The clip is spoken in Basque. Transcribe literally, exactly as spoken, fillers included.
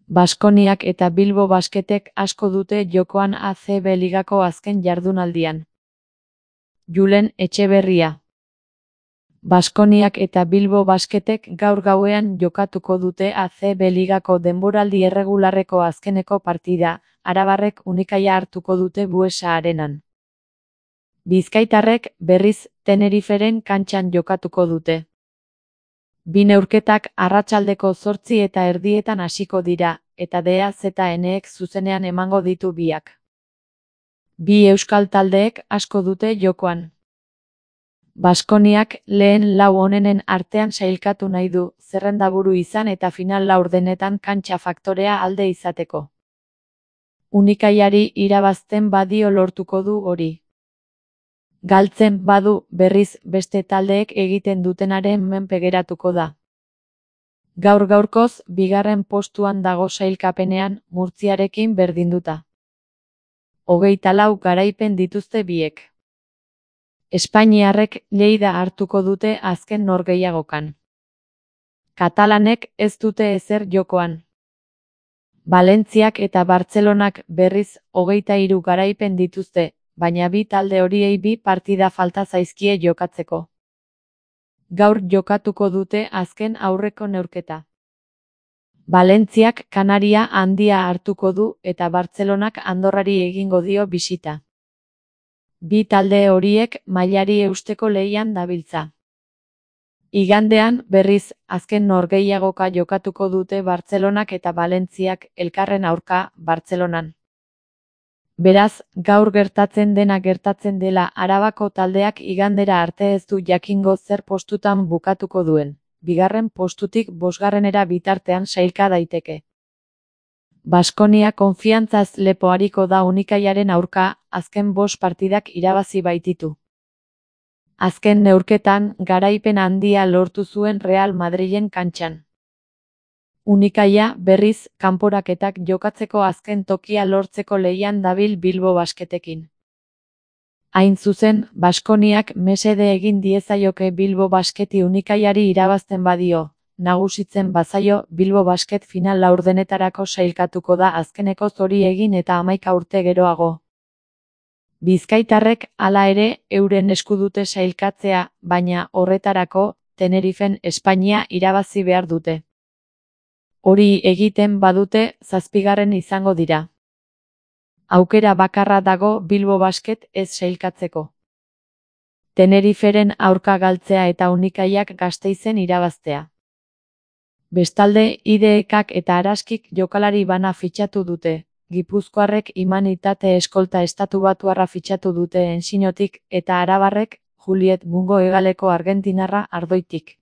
Baskoniak eta Bilbo Basketek asko dute jokoan A C B ligako azken jardunaldian. Julen Etxeberria. Baskoniak eta Bilbo Basketek gaur gauean jokatuko dute A C B ligako denboraldi erregularreko azkeneko partida, arabarrek Unikaia hartuko dute Buesa Arenan. Bizkaitarrek, berriz, Teneriferen kantxan jokatuko dute. Bi neurketak arratsaldeko zortzi eta erdietan hasiko dira, eta D A ZNek zuzenean emango ditu biak. Bi euskal taldeek asko dute jokoan. Baskoniak lehen lau onenen artean sailkatu nahi du, zerrendaburu izan eta final laurdenetan kantxa faktorea alde izateko. Unikaiari irabazten badio lortuko du hori. Galtzen badu, berriz, beste taldeek egiten dutenaren menpe geratuko da. Gaur gaurkoz, bigarren postuan dago sailkapenean, Murtziarekin berdinduta. Hogeita lau garaipen dituzte biek. Espainiarrek Lleida hartuko dute azken norgehiagokan. Katalanek ez dute ezer jokoan. Valentziak eta Bartzelonak berriz hogeita hiru garaipen dituzte, baina bi talde horiei bi partida falta zaizkie jokatzeko. Gaur jokatuko dute azken aurreko neurketa. Valentziak Kanaria handia hartuko du eta Bartzelonak Andorrari egingo dio bisita. Bi talde horiek mailari eusteko lehian dabiltza. Igandean, berriz, azken norgehiagoka jokatuko dute Bartzelonak eta Valentziak elkarren aurka Bartzelonan. Beraz, gaur gertatzen dena gertatzen dela Arabako taldeak igandera arte ez du jakingo zer postutan bukatuko duen, bigarren postutik bosgarrenera bitartean sailka daiteke. Baskonia konfiantzaz lepo ariko da Unikaiaren aurka, azken bost partidak irabazi baititu. Azken neurketan, garaipen handia lortu zuen Real Madrilen kantxan. Unikaia, berriz, kanporaketak jokatzeko azken tokia lortzeko lehian dabil Bilbo Basketekin. Hain zuzen, Baskoniak mesede egin diezaioke Bilbo Basketi Unikaiari irabazten badio, nagusitzen bazaio, Bilbo Basket final laurdenetarako sailkatuko da azkeneko zori egin eta hamaika urte geroago. Bizkaitarrek, hala ere, euren esku dute sailkatzea, baina horretarako, Tenerifen Espainia irabazi behar dute. Hori egiten badute, zazpigarren izango dira. Aukera bakarra dago Bilbo Basket ez sailkatzeko. Teneriferen aurka galtzea eta Unikaiak Gasteizen irabaztea. Bestalde, I D Ekak eta Araskik jokalari bana fitxatu dute. Gipuzkoarrek Imanitate eskolta estatubatuarra fitxatu dute Ensinotik eta arabarrek Juliet Mungo hegaleko argentinarra Ardoitik.